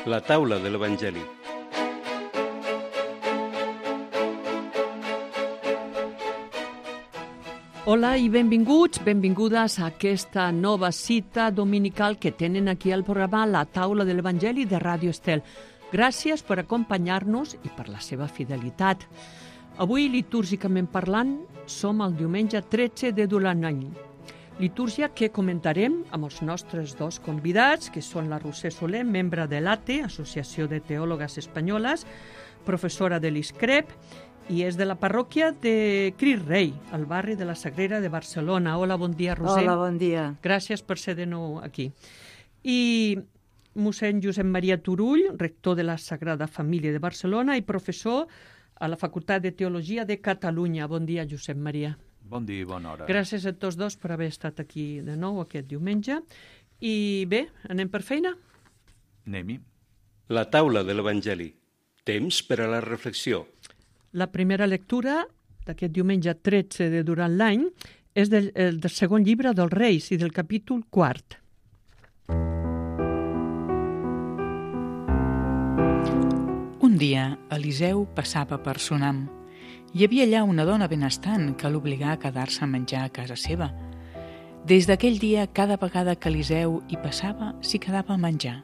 La taula de l'Evangeli. Hola i benvinguts, benvingudes a aquesta nova cita dominical que tenen aquí al programa La taula de l'Evangeli de Ràdio Estel. Gràcies per acompanyar-nos i per la seva fidelitat. Avui, litúrgicament parlant, som el diumenge 13 de l'any. Litúrgia que comentarem amb els nostres dos convidats, que són la Roser Soler, membre de l'ATE, Associació de Teòlogues Espanyoles, professora de l'ISCREP, i és de la parròquia de Crist Rei, al barri de la Sagrera de Barcelona. Hola, bon dia, Roser. Hola, bon dia. Gràcies per ser de nou aquí. I mossèn Josep Maria Turull, rector de la Sagrada Família de Barcelona i professor a la Facultat de Teologia de Catalunya. Bon dia, Josep Maria. Bon dia i bona hora. Gràcies a tots dos per haver estat aquí de nou aquest diumenge. I bé, anem per feina? Anem-hi. La taula de l'Evangeli. Temps per a la reflexió. La primera lectura d'aquest diumenge 13 de durant l'any és del segon llibre dels Reis i del capítol 4. Un dia, Eliseu passava per Sunam. Hi havia allà una dona benestant que l'obligà a quedar-se a menjar a casa seva. Des d'aquell dia, cada vegada que Eliseu hi passava, s'hi quedava a menjar.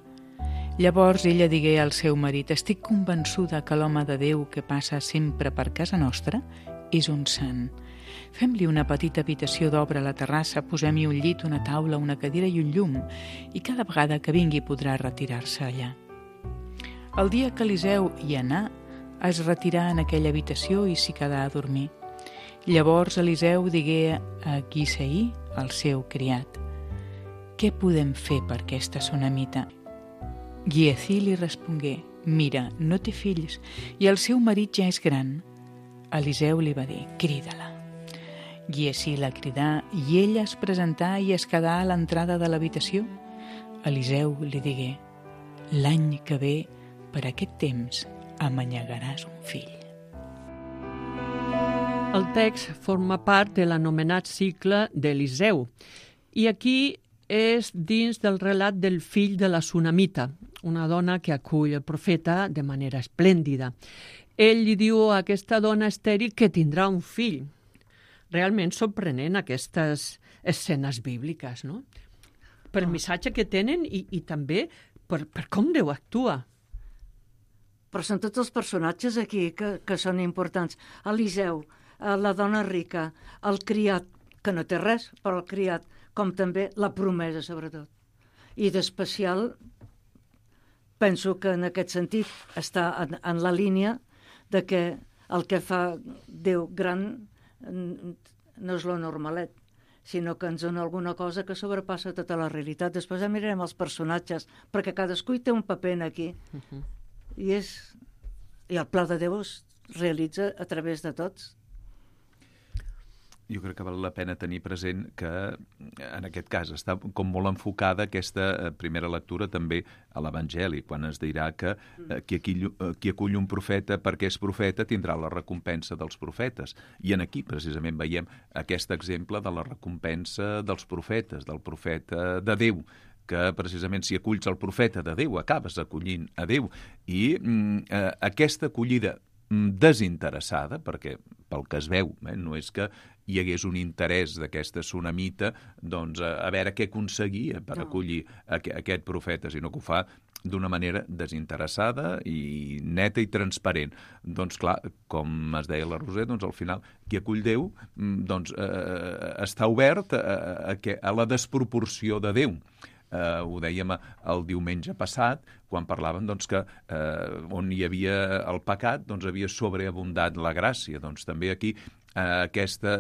Llavors ella digué al seu marit: «Estic convençuda que l'home de Déu que passa sempre per casa nostra és un sant. Fem-li una petita habitació d'obra a la terrassa, posem-hi un llit, una taula, una cadira i un llum, i cada vegada que vingui podrà retirar-se allà». El dia que Eliseu hi anà, es retirà en aquella habitació i s'hi quedà a dormir. Llavors Eliseu digué a Gisaí, el seu criat: «Què podem fer per aquesta sunamita?» Giesí li respongué: «Mira, no té fills i el seu marit ja és gran». Eliseu li va dir: «Crida-la». Giesí la cridà i ella es presentà i es quedà a l'entrada de l'habitació. Eliseu li digué: «L'any que ve, per aquest temps, amanyegaràs un fill». El text forma part de l'anomenat cicle d'Eliseu i aquí és dins del relat del fill de la sunamita, una dona que acull el profeta de manera esplèndida. Ell li diu a aquesta dona estèril que tindrà un fill. Realment sorprenent aquestes escenes bíbliques, no? Per el missatge que tenen i també per com Déu actua. Però són tots els personatges aquí que són importants. Eliseu, la dona rica, el criat, que no té res, però el criat, com també la promesa, sobretot. I d'especial, penso que en aquest sentit està en la línia de que el que fa Déu gran no és lo normalet, sinó que ens dona alguna cosa que sobrepassa tota la realitat. Després ja mirarem els personatges, perquè cadascú hi té un paper aquí. I el pla de Déu es realitza a través de tots. Jo crec que val la pena tenir present que en aquest cas està com molt enfocada aquesta primera lectura també a l'Evangeli, quan es dirà que qui acull un profeta perquè és profeta tindrà la recompensa dels profetes. I en aquí precisament veiem aquest exemple de la recompensa dels profetes, del profeta de Déu, que precisament si aculls el profeta de Déu acabes acollint a Déu. I aquesta acollida desinteressada, perquè pel que es veu, no és que hi hagués un interès d'aquesta sunamita doncs, a veure què aconseguia per acollir aquest profeta, sinó que ho fa d'una manera desinteressada i neta i transparent. Doncs clar, com es deia la Roser, doncs al final qui acull Déu doncs, està obert a la desproporció de Déu. Ho dèiem el diumenge passat, quan parlàvem doncs, que on hi havia el pecat doncs, havia sobreabundat la gràcia. Doncs també aquí aquesta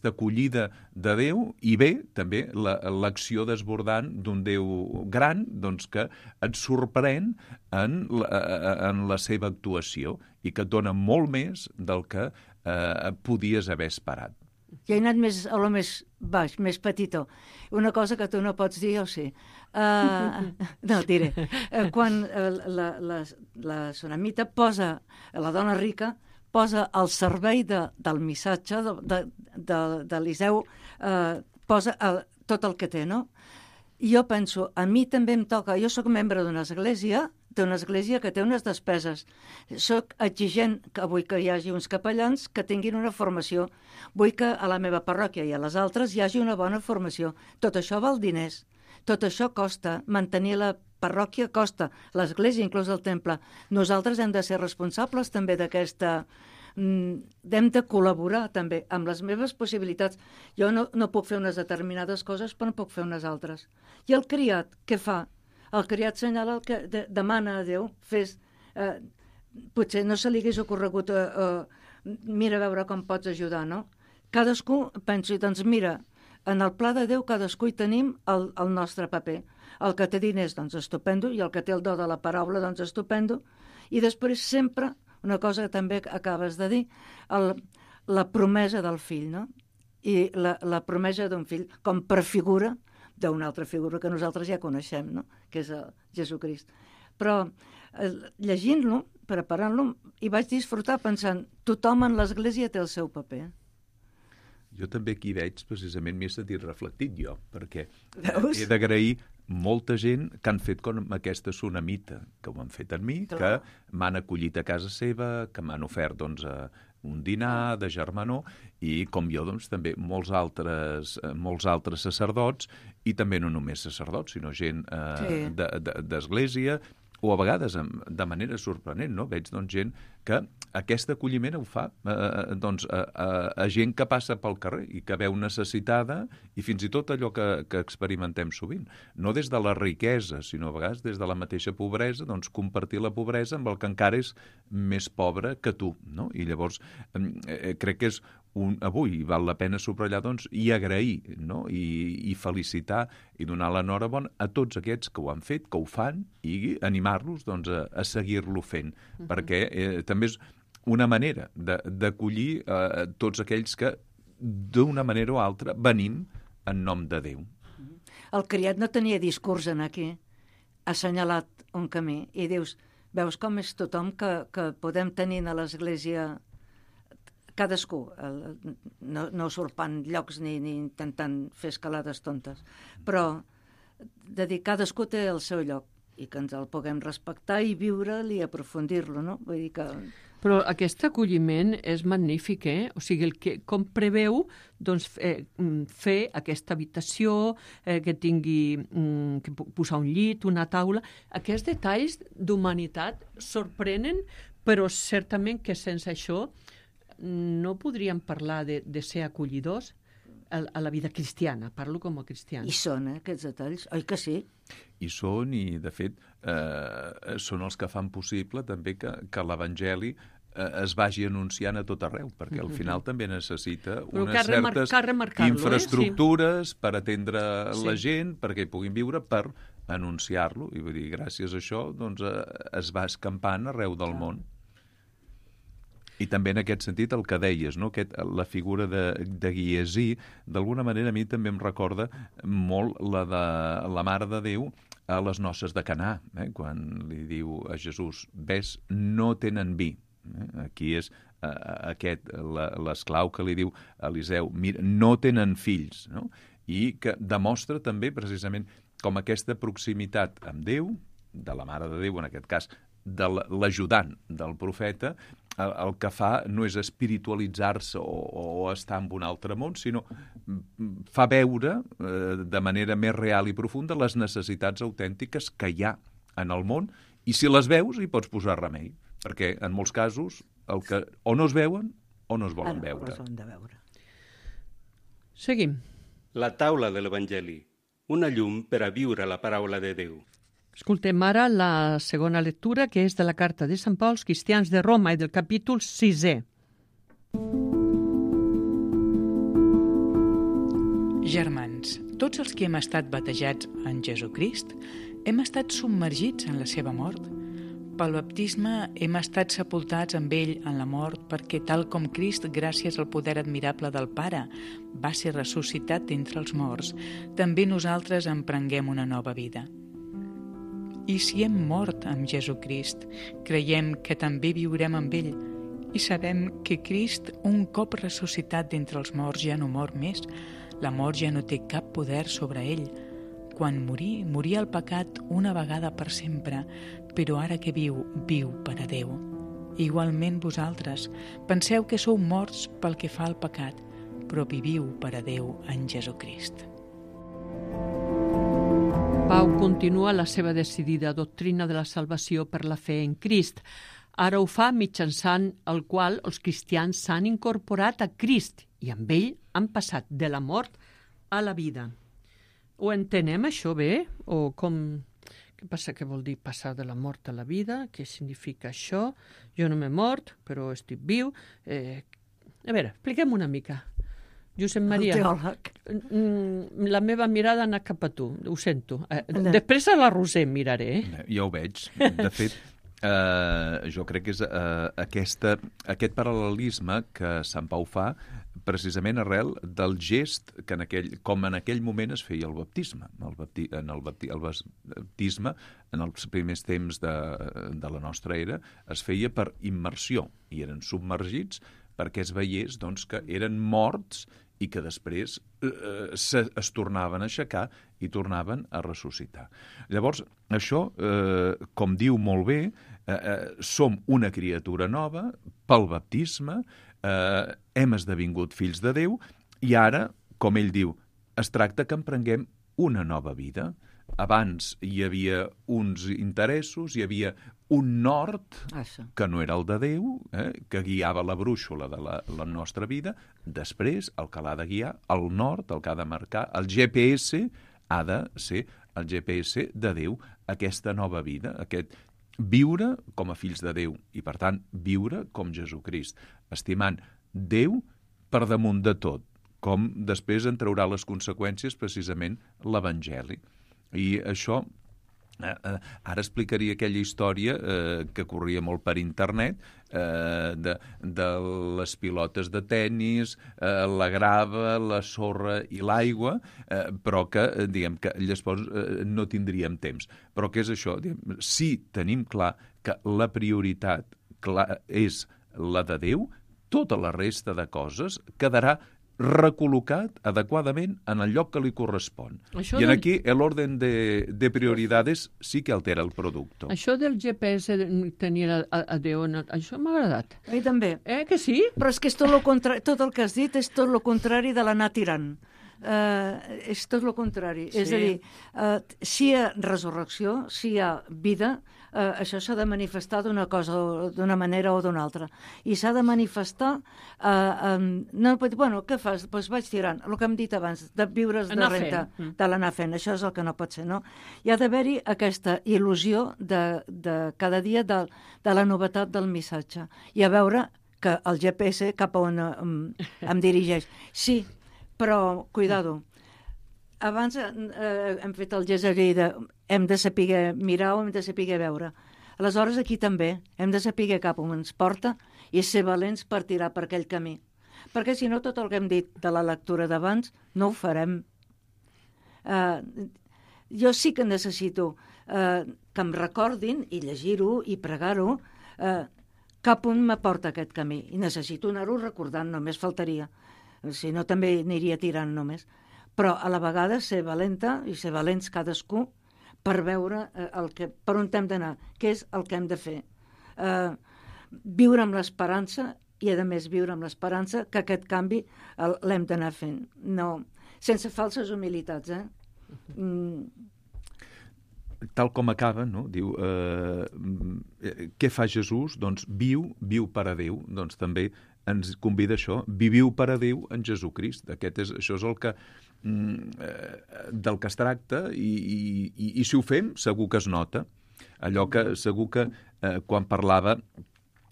acollida de Déu i bé també l'acció desbordant d'un Déu gran doncs, que et sorprèn en la seva actuació i que et dona molt més del que podies haver esperat. Jo he anat a lo més baix, més petitó. Una cosa que tu no pots dir, jo sí. No, diré. Quan la sunamita posa, la dona rica, posa al servei del missatge d'Eliseu, posa tot el que té, no? I jo penso, a mi també em toca, jo sóc membre d'una església que té unes despeses. Soc exigent que vull que hi hagi uns capellans que tinguin una formació. Vull que a la meva parròquia i a les altres hi hagi una bona formació. Tot això val diners. Tot això costa. Mantenir la parròquia costa. L'església, inclús el temple. Nosaltres hem de ser responsables també d'aquesta... hem de col·laborar també amb les meves possibilitats. Jo no puc fer unes determinades coses, però no puc fer unes altres. I el criat, què fa? El criat senyala el que demana a Déu, potser no se li hagués ocorregut mira a veure com pots ajudar, no? Cadascú penso, doncs mira, en el pla de Déu cadascú hi tenim el nostre paper. El que té diners, doncs estupendo, i el que té el do de la paraula, doncs estupendo. I després sempre, una cosa que també acabes de dir, la promesa del fill, no? I la promesa d'un fill com prefigura d'una altra figura que nosaltres ja coneixem, no? Que és Jesucrist. Però llegint-lo, preparant-lo, hi vaig disfrutar pensant, tothom en l'Església té el seu paper. Jo també aquí veig, precisament, m'he sentit reflectit jo, perquè Veus? he d'agrair molta gent que han fet com aquesta tsunamita, que ho han fet en mi, que m'han acollit a casa seva, que m'han ofert, doncs, un dinar de germanor, i com jo, doncs, també molts altres sacerdots, i també no només sacerdots, sinó gent d'església, o a vegades de manera sorprenent, no? Veig, doncs, gent que aquest acolliment ho fa a gent que passa pel carrer i que veu necessitada, i fins i tot allò que experimentem sovint. No des de la riquesa, sinó a vegades des de la mateixa pobresa, doncs compartir la pobresa amb el que encara és més pobre que tu, no? I llavors crec que és avui val la pena subratllar, doncs, i agrair, no? I felicitar i donar l'enhorabona a tots aquests que ho han fet, que ho fan, i animar-los, doncs, a seguir-lo fent, perquè també és una manera d'acollir tots aquells que d'una manera o altra venim en nom de Déu. El criat no tenia discurs en aquí, ha assenyalat un camí, i dius, veus com és tothom que podem tenir a l'Església cadascú, no usurpant llocs ni intentant fer escalades tontes, però de dir cadascú té el seu lloc i que ens el puguem respectar i viure'l i aprofundir-lo, no? Vull dir que... Però aquest acolliment és magnífic, O sigui, com preveu doncs, fer aquesta habitació, que tingui que posar un llit, una taula. Aquests detalls d'humanitat sorprenen, però certament que sense això no podríem parlar de ser acollidors a la vida cristiana. Parlo com a cristiana. I són, aquests detalls, oi que sí? I són, i de fet són els que fan possible també que l'Evangeli es vagi anunciant a tot arreu, perquè al final també necessita unes certes infraestructures per atendre la gent, perquè hi puguin viure, per anunciar-lo. I vull dir, gràcies a això doncs, es va escampant arreu del món. I també en aquest sentit el que deies, no? La figura de Giesí, d'alguna manera a mi també em recorda molt la de la Mare de Déu a les noces de Canà, quan li diu a Jesús, ves, no tenen vi. Aquí és l'esclau que li diu a Eliseu, mira, no tenen fills, no? I que demostra també precisament com aquesta proximitat amb Déu, de la Mare de Déu en aquest cas, de l'ajudant del profeta, el que fa no és espiritualitzar-se o estar en un altre món, sinó fa veure de manera més real i profunda les necessitats autèntiques que hi ha en el món, i si les veus hi pots posar remei, perquè en molts casos o no es veuen o no es volen veure. Seguim. La taula de l'Evangeli, una llum per a viure la paraula de Déu. Escoltem ara la segona lectura, que és de la carta de Sant Pau als cristians de Roma i del capítol 6è. Germans, tots els que hem estat batejats en Jesucrist hem estat submergits en la seva mort. Pel baptisme hem estat sepultats amb ell en la mort perquè, tal com Crist, gràcies al poder admirable del Pare, va ser ressuscitat d'entre els morts, també nosaltres emprenguem una nova vida. I si hem mort amb Jesucrist, creiem que també viurem amb ell i sabem que Crist, un cop ressuscitat d'entre els morts, ja no mor més. La mort ja no té cap poder sobre ell. quan moria el pecat una vegada per sempre, però ara que viu per a Déu. Igualment vosaltres penseu que sou morts pel que fa al pecat, però viviu per a Déu en Jesucrist. Pau continua la seva decidida doctrina de la salvació per la fe en Crist. Ara ho fa mitjançant el qual els cristians s'han incorporat a Crist i amb ell han passat de la mort a la vida. Ho entenem, això, bé? O com... Què passa? Què vol dir passar de la mort a la vida? Què significa això? Jo no m'he mort, però estic viu. A veure, expliquem una mica. Josep Maria, el teòleg. La meva mirada ha anat cap a tu, ho sento. Després a la Roser miraré. Ja ho veig. De fet, jo crec que és aquest paral·lelisme que Sant Pau fa precisament arrel del gest que com en aquell moment es feia el baptisme. El baptisme, en els primers temps de la nostra era, es feia per immersió i eren submergits perquè es veiés doncs, que eren morts i que després es tornaven a aixecar i tornaven a ressuscitar. Llavors, això, com diu molt bé, som una criatura nova pel baptisme, hem esdevingut fills de Déu i ara, com ell diu, es tracta que emprenguem una nova vida. Abans hi havia uns interessos, hi havia un nord que no era el de Déu, que guiava la brúixola de la nostra vida. Després, el que l'ha de guiar, el nord, el que ha de marcar, el GPS ha de ser el GPS de Déu, aquesta nova vida, aquest viure com a fills de Déu i, per tant, viure com Jesucrist, estimant Déu per damunt de tot, com després en traurà les conseqüències precisament l'Evangeli. I això, ara explicaria aquella història que corria molt per internet, de les pilotes de tennis, la grava, la sorra i l'aigua, però que, diguem, que llavors no tindríem temps. Però què és això? Si tenim clar que la prioritat és la de Déu, tota la resta de coses quedarà recol·locat adequadament en el lloc que li correspon. I aquí l'orden de prioridades sí que altera el producte. Això del GPS tenir a Déu, això m'ha agradat. A mi també. Que sí? Però és que és tot el contrari, tot el que has dit és tot el contrari de l'anar tirant. És tot el contrari. Sí. És a dir, si hi ha resurrecció, si hi ha vida, això s'ha de manifestar d'una cosa, d'una manera o d'una altra. I s'ha de manifestar... Bueno, què fas? Doncs vaig tirant. El que hem dit abans, de viure's de renta, de l'anar fent. Això és el que no pot ser, no? Hi ha d'haver-hi aquesta il·lusió de cada dia de la novetat del missatge. I a veure que el GPS cap a on em dirigeix. Sí, però, cuidado, abans hem fet el gest aquell de hem de saber mirar o hem de saber veure. Aleshores, aquí també hem de saber cap on ens porta i ser valents per tirar per aquell camí. Perquè, si no, tot el que hem dit de la lectura d'abans no ho farem. Jo sí que necessito que em recordin i llegir-ho i pregar-ho cap on m'aporta aquest camí. I necessito anar-ho recordant, només faltaria. Si no, també aniria tirant només. Però a la vegada ser valenta i ser valents cadascú per veure per on hem d'anar, què és el que hem de fer. Viure amb l'esperança i, a més, viure amb l'esperança que aquest canvi l'hem d'anar fent. No, sense falses humilitats, Tal com acaba, no? Diu, què fa Jesús? Doncs viu per a Déu. Doncs també ens convida això, viviu per a Déu en Jesucrist. Això és el que del que es tracta i si ho fem segur que es nota. Allò que segur que quan parlava,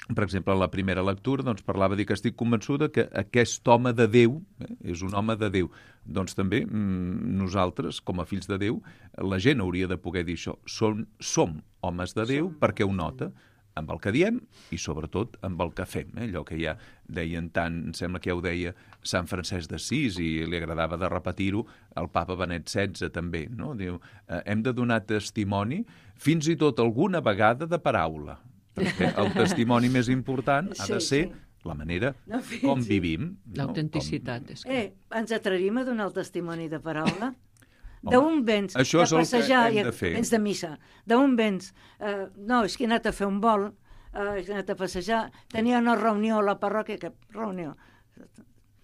per exemple, a la primera lectura, doncs parlava de que estic convençuda que aquest home de Déu és un home de Déu. Doncs també nosaltres, com a fills de Déu, la gent hauria de poder dir això. Som homes de Déu perquè ho nota amb el que diem i, sobretot, amb el que fem. Allò que ja deien tant, em sembla que ja ho deia Sant Francesc d'Assís i li agradava de repetir-ho el papa Benet XVI també, no? Diu, hem de donar testimoni fins i tot alguna vegada de paraula, perquè el testimoni més important ha de ser la manera com vivim. L'autenticitat. Ens atrevim a donar el testimoni de paraula? D'on vens? Això és de el que passejar, hem de fer. Vens de missa. D'on vens? No, és que he anat a fer un vol, he anat a passejar, tenia una reunió a la parròquia, que reunió?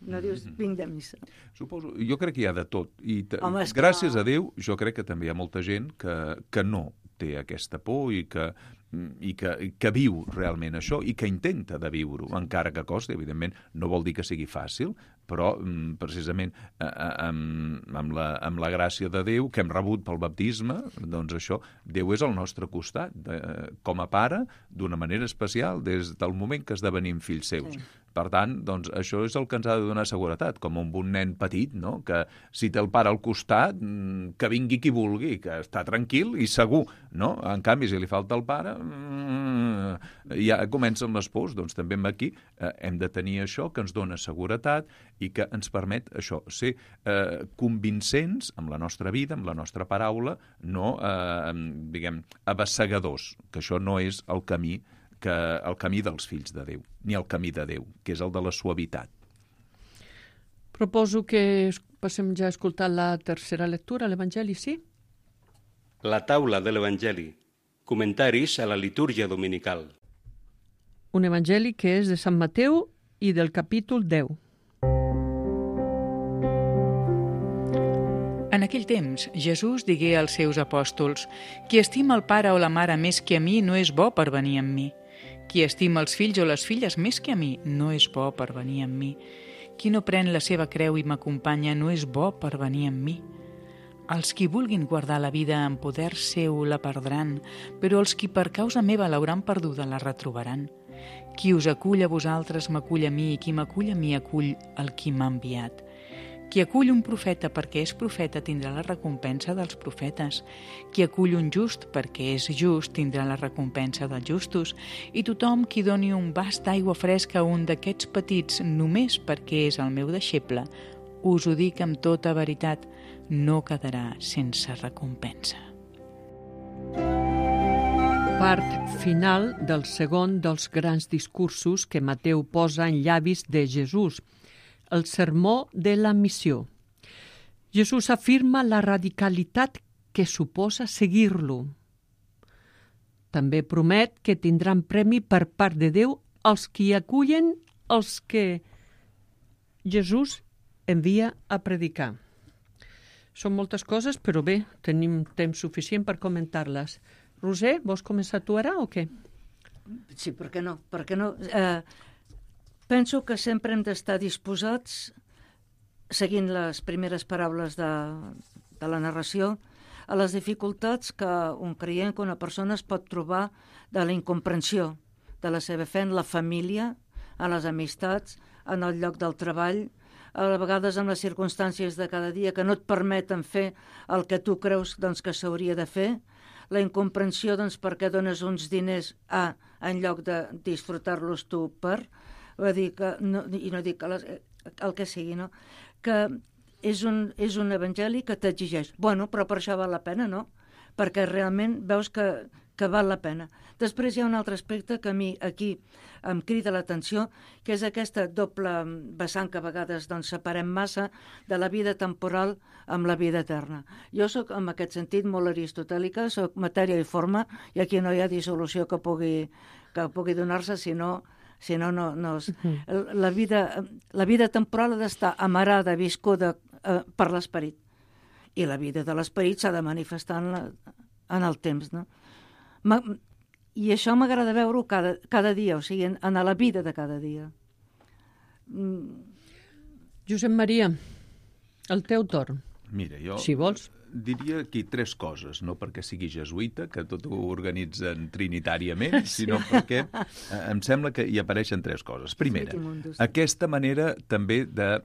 No dius, vinc de missa. Suposo, jo crec que hi ha de tot. I Home, és que gràcies no. a Déu, jo crec que també hi ha molta gent que no té aquesta por i que viu realment això i que intenta de viure-ho, encara que costi, evidentment, no vol dir que sigui fàcil, però precisament amb la gràcia de Déu que hem rebut pel baptisme, doncs això, Déu és al nostre costat, com a pare, d'una manera especial, des del moment que esdevenim fills seus. Sí. Per tant, doncs, això és el que ens ha de donar seguretat, com un bon nen petit, no? Que si té el pare al costat, que vingui qui vulgui, que està tranquil i segur, no? En canvi, si li falta el pare, ja comencen les pors. Doncs també aquí hem de tenir això que ens dona seguretat i que ens permet això, ser convincents amb la nostra vida, amb la nostra paraula, no, diguem, abassegadors, que això no és el camí dels fills de Déu, ni el camí de Déu, que és el de la suavitat. Proposo que passem ja a escoltar la tercera lectura, l'Evangeli, sí? La taula de l'Evangeli. Comentaris a la litúrgia dominical. Un Evangeli que és de Sant Mateu i del capítol 10. En aquell temps, Jesús digué als seus apòstols: «Qui estima el pare o la mare més que a mi no és bo per venir amb mi. Qui estima els fills o les filles més que a mi no és bo per venir amb mi. Qui no pren la seva creu i m'acompanya no és bo per venir amb mi. Els qui vulguin guardar la vida en poder seu la perdran, però els qui per causa meva l'hauran perduda la retrobaran. Qui us acull a vosaltres m'acull a mi, i qui m'acull a mi acull el qui m'ha enviat. Qui acull un profeta perquè és profeta tindrà la recompensa dels profetes. Qui acull un just perquè és just tindrà la recompensa dels justos. I tothom qui doni un vas d'aigua fresca a un d'aquests petits només perquè és el meu deixeble, us ho dic amb tota veritat, no quedarà sense recompensa». Part final del segon dels grans discursos que Mateu posa en llavis de Jesús, el sermó de la missió. Jesús afirma la radicalitat que suposa seguir-lo. També promet que tindran premi per part de Déu els qui acullen els que Jesús envia a predicar. Són moltes coses, però bé, tenim temps suficient per comentar-les. Roser, vols començar tu ara o què? Sí, per què no? Per què no? Penso que sempre hem d'estar disposats, seguint les primeres paraules de la narració, a les dificultats que un creient, que una persona es pot trobar de la incomprensió de la seva fe en la família, a les amistats, en el lloc del treball, a vegades en les circumstàncies de cada dia que no et permeten fer el que tu creus doncs, que s'hauria de fer, la incomprensió doncs, perquè dones uns diners en lloc de disfrutar-los tu per... Vull dir que, no, i no dic el que sigui, no? Que és un evangeli que t'exigeix. Bueno, però per això val la pena, no? Perquè realment veus que val la pena. Després hi ha un altre aspecte que a mi aquí em crida l'atenció, que és aquesta doble vessant que a vegades doncs, separem massa de la vida temporal amb la vida eterna. Jo sóc, en aquest sentit, molt aristotèlica, sóc matèria i forma, i aquí no hi ha dissolució que pugui donar-se, sinó no. La vida temporal ha d'estar amarada, viscuda per l'esperit. I la vida de l'esperit s'ha de manifestar en el temps, no? I això m'agrada veure-ho cada dia, o sigui, en la vida de cada dia. Josep Maria, el teu torn. Mira, jo si vols. Diria aquí 3 coses, no perquè sigui jesuïta, que tot ho organitzen trinitàriament, sinó perquè em sembla que hi apareixen 3 coses. Primera, aquesta manera també de,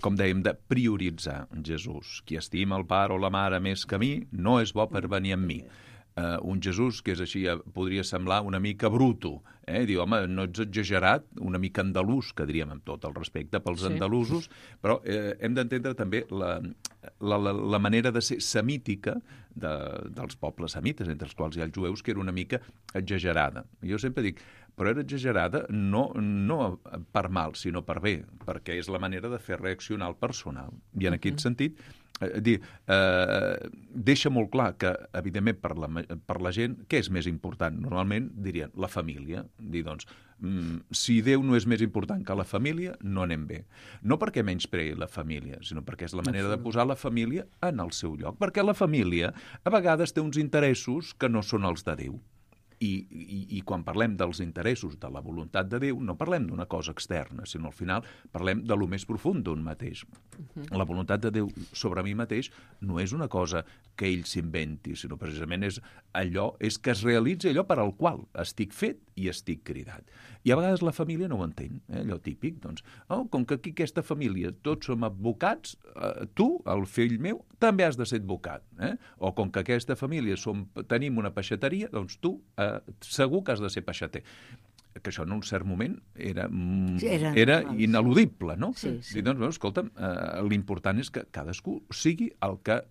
com dèiem, de prioritzar Jesús. Qui estima el pare o la mare més que a mi no és bo per venir amb mi. Un Jesús que és així, podria semblar una mica bruto, diu, home, no ets exagerat, una mica andalús, que diríem amb tot el respecte pels andalusos, però hem d'entendre també la manera de ser semítica dels pobles semites, entre els quals hi ha els jueus, que era una mica exagerada. Jo sempre dic, però era exagerada no per mal, sinó per bé, perquè és la manera de fer reaccionar el personal. I en aquest sentit, deixa molt clar que, evidentment, per la gent, què és més important? Normalment dirien la família. Dir, doncs, si Déu no és més important que la família, no anem bé. No perquè menyspreï la família, sinó perquè és la manera de posar la família en el seu lloc. Perquè la família, a vegades, té uns interessos que no són els de Déu. I quan parlem dels interessos de la voluntat de Déu, no parlem d'una cosa externa, sinó al final parlem de lo més profund d'un mateix. La voluntat de Déu sobre mi mateix no és una cosa que ell s'inventi, sinó precisament és que es realitzi allò per al qual estic fet i estic cridat. I a vegades la família no ho entén, allò típic, doncs, com que aquí aquesta família tots som advocats, tu, el fill meu, també has de ser advocat. O com que aquesta família tenim una peixateria, doncs tu segur que has de ser peixater. Que això en un cert moment era ineludible, no? Sí. I doncs, escolta'm, l'important és que cadascú sigui el que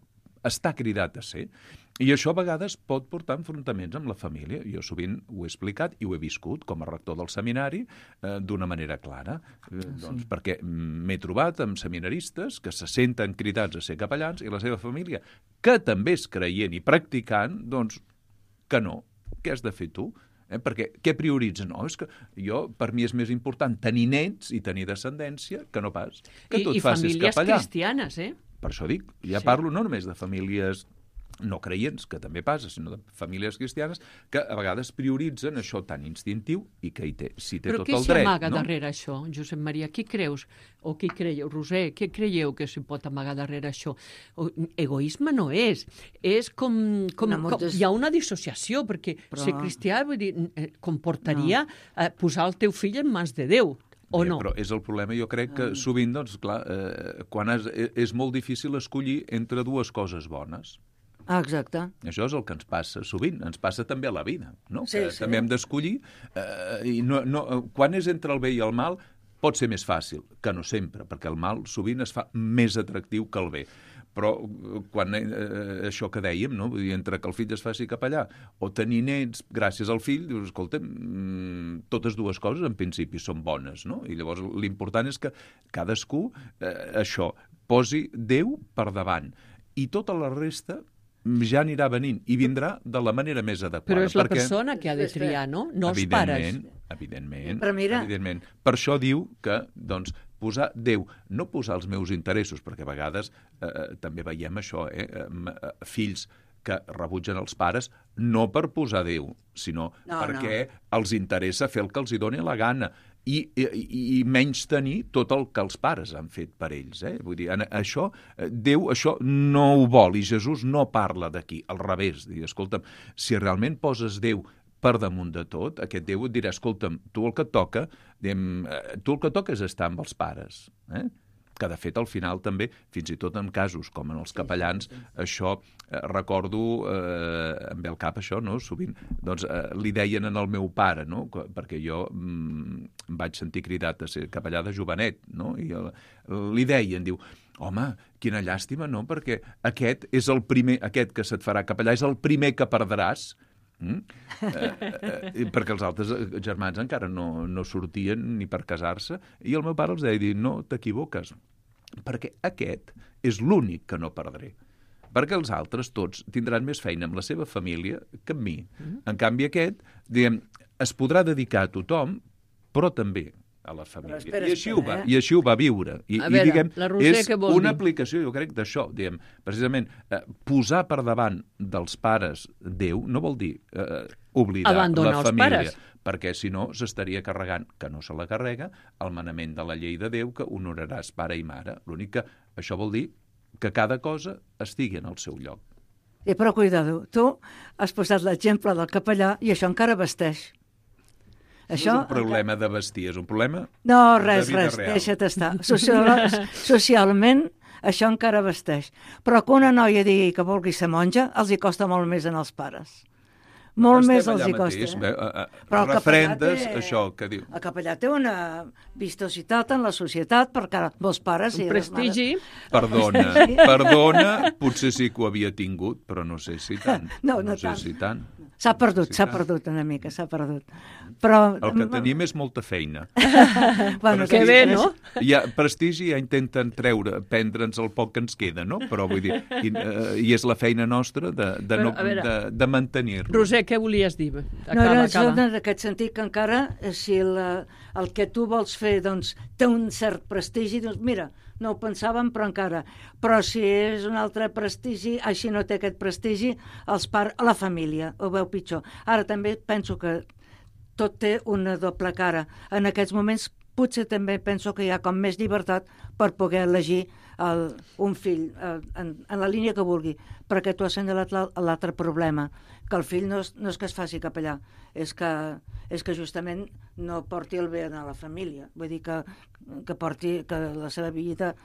està cridat a ser. I això a vegades pot portar enfrontaments amb la família. Jo sovint ho he explicat i ho he viscut com a rector del seminari d'una manera clara. Doncs perquè m'he trobat amb seminaristes que se senten cridats a ser capellans i la seva família, que també és creient i practicant, doncs que no. Què has de fer tu? Perquè què prioritzen? No, és que per mi és més important tenir nets i tenir descendència que no pas que tu et facis capellà. I famílies cristianes, Per això dic, parlo no només de famílies no creients, que també passa, sinó de famílies cristianes que a vegades prioritzen això tan instintiu i que té tot el dret. Però què s'hi amaga darrere això, Josep Maria? Qui creus? O qui creieu? Roser, què creieu que s'hi pot amagar darrere això? Egoisme no és. És com hi ha una dissociació, perquè ser cristià comportaria posar el teu fill en mans de Déu. O no? Però és el problema, jo crec que sovint, doncs, clar, quan és molt difícil escollir entre dues coses bones. Exacte. Això és el que ens passa sovint, ens passa també a la vida, no? També hem d'escollir, i quan és entre el bé i el mal pot ser més fàcil, que no sempre, perquè el mal sovint es fa més atractiu que el bé. Però quan això que dèiem, no? Vull dir, entre que el fill es faci capellà o tenir nets gràcies al fill, dius, escolta, totes dues coses en principi són bones, no? I llavors l'important és que cadascú posi Déu per davant i tota la resta ja anirà venint i vindrà de la manera més adequada. Però és la persona que ha de triar, no? No els pares. Evidentment. Per això diu que, doncs, posar Déu, no posar els meus interessos, perquè a vegades també veiem això, fills que rebutgen els pares no per posar Déu, sinó perquè els interessa fer el que els hi doni la gana i menys tenir tot el que els pares han fet per ells. Vull dir, això, Déu això no ho vol i Jesús no parla d'aquí, al revés. Escolta'm, si realment poses Déu per damunt de tot, aquest Déu et dirà, escolta'm, tu el que et toca és estar amb els pares, que de fet al final també, fins i tot en casos com en els capellans, això recordo, em ve al cap això, no? Sovint doncs, li deien al meu pare, no? Perquè jo em vaig sentir cridat a ser capellà de jovenet, no? I li deien, diu, home, quina llàstima, no? Perquè aquest que se't farà capellà és el primer que perdràs, perquè els altres germans encara no sortien ni per casar-se i el meu pare els deia, no t'equivoques, perquè aquest és l'únic que no perdré, perquè els altres tots tindran més feina amb la seva família que amb mi. En canvi aquest, diguem, es podrà dedicar a tothom, però també a la família. I així ho va viure. I diguem, és una aplicació, jo crec, d'això. Diguem, precisament, posar per davant dels pares Déu no vol dir oblidar abandonar la família, els pares. Perquè si no s'estaria carregant, que no se la carrega, el manament de la llei de Déu que honoraràs pare i mare. L'únic que això vol dir que cada cosa estigui en el seu lloc. Però cuidado, tu has posat l'exemple del capellà i això encara vesteix. Això no és un problema de vestir, és un problema no, de vida real. Deixa't estar. Socialment, això encara vesteix. Però que una noia digui que vulgui ser monja, els hi costa molt més en els pares. Molt més els hi costa. Però refrendes això que diu. El capellà té una vistositat en la societat, perquè molts pares... Un prestigi. Perdona, potser sí que ho havia tingut, però no sé si tant. No sé si tant. S'ha perdut una mica, s'ha perdut. Però... El que tenim és molta feina. Bueno, que bé, no? Hi ha prestigi, ja intenten prendre'ns el poc que ens queda, no? Però vull dir, i és la feina nostra de mantenir-lo. Roser, què volies dir? Acaba. En aquest sentit que encara, si el que tu vols fer doncs, té un cert prestigi, doncs mira, no ho pensàvem, però encara. Però si és un altre prestigi, així no té aquest prestigi, la família ho veu pitjor. Ara també penso que tot té una doble cara. En aquests moments potser també penso que hi ha com més llibertat per poder elegir un fill en la línia que vulgui, perquè tu has assenyalat l'altre problema, que el fill no és que es faci cap allà, és que justament no porti el bé a la família, vull dir que la seva vida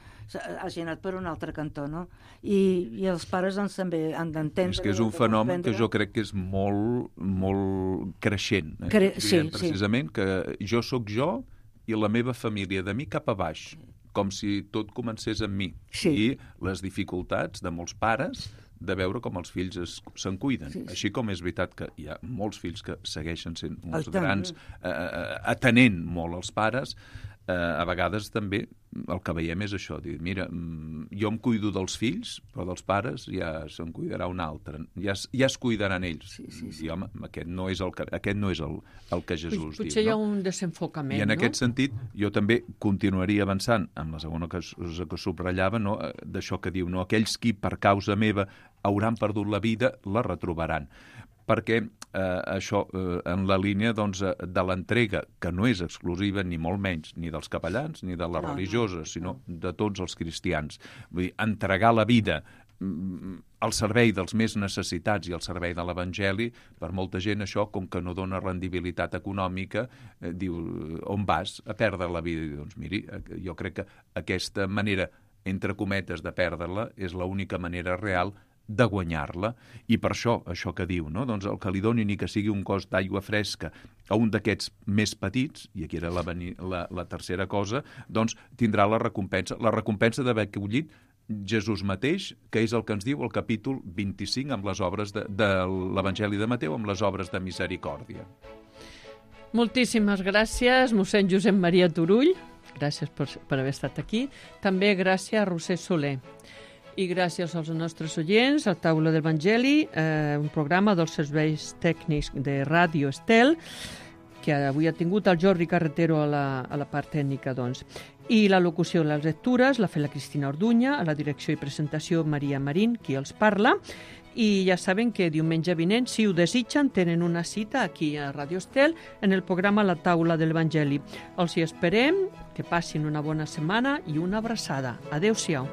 hagi anat per un altre cantó, no? I els pares doncs també han d'entendre... És que és un fenomen que jo crec que és molt, molt creixent. Sí. Precisament que jo sóc jo i la meva família de mi cap a baix, com si tot comencés amb mi. Sí. I les dificultats de molts pares de veure com els fills se'n cuiden. Sí. Així com és veritat que hi ha molts fills que segueixen sent uns grans, atenent molt els pares, a vegades també el que veiem és això, dir, mira, jo em cuido dels fills, però dels pares ja se'n cuidarà un altre, ja es cuidaran ells. Sí. I home, aquest no és el que Jesús diu. Potser hi ha un desenfocament, I en aquest sentit, jo també continuaria avançant amb la segona que subratllava, no? D'això que diu, no? Aquells qui per causa meva hauran perdut la vida, la retrobaran. Perquè això, en la línia doncs, de l'entrega, que no és exclusiva ni molt menys ni dels capellans ni de les religioses, sinó de tots els cristians. Vull dir, entregar la vida al servei dels més necessitats i al servei de l'Evangeli, per molta gent això, com que no dona rendibilitat econòmica, diu, on vas? A perdre la vida. I, doncs miri, jo crec que aquesta manera, entre cometes, de perdre-la és l'única manera real de guanyar-la, i per això que diu, no? Doncs el que li doni ni que sigui un cos d'aigua fresca a un d'aquests més petits, i aquí era la tercera cosa, doncs tindrà la recompensa d'haver acollit Jesús mateix, que és el que ens diu el capítol 25 amb les obres de l'Evangeli de Mateu, amb les obres de misericòrdia. Moltíssimes gràcies, mossèn Josep Maria Turull, gràcies per haver estat aquí. També gràcies a Roser Soler. I gràcies als nostres oients, a Taula d'Evangeli, un programa dels serveis tècnics de Ràdio Estel, que avui ha tingut el Jordi Carretero a la part tècnica, doncs. I la locució de les lectures l'ha fet la Cristina Orduña, a la direcció i presentació Maria Marín, qui els parla. I ja saben que diumenge vinent, si ho desitgen, tenen una cita aquí a Ràdio Estel en el programa La Taula de l'Evangeli. Els hi esperem, que passin una bona setmana i una abraçada. Adéu-siau.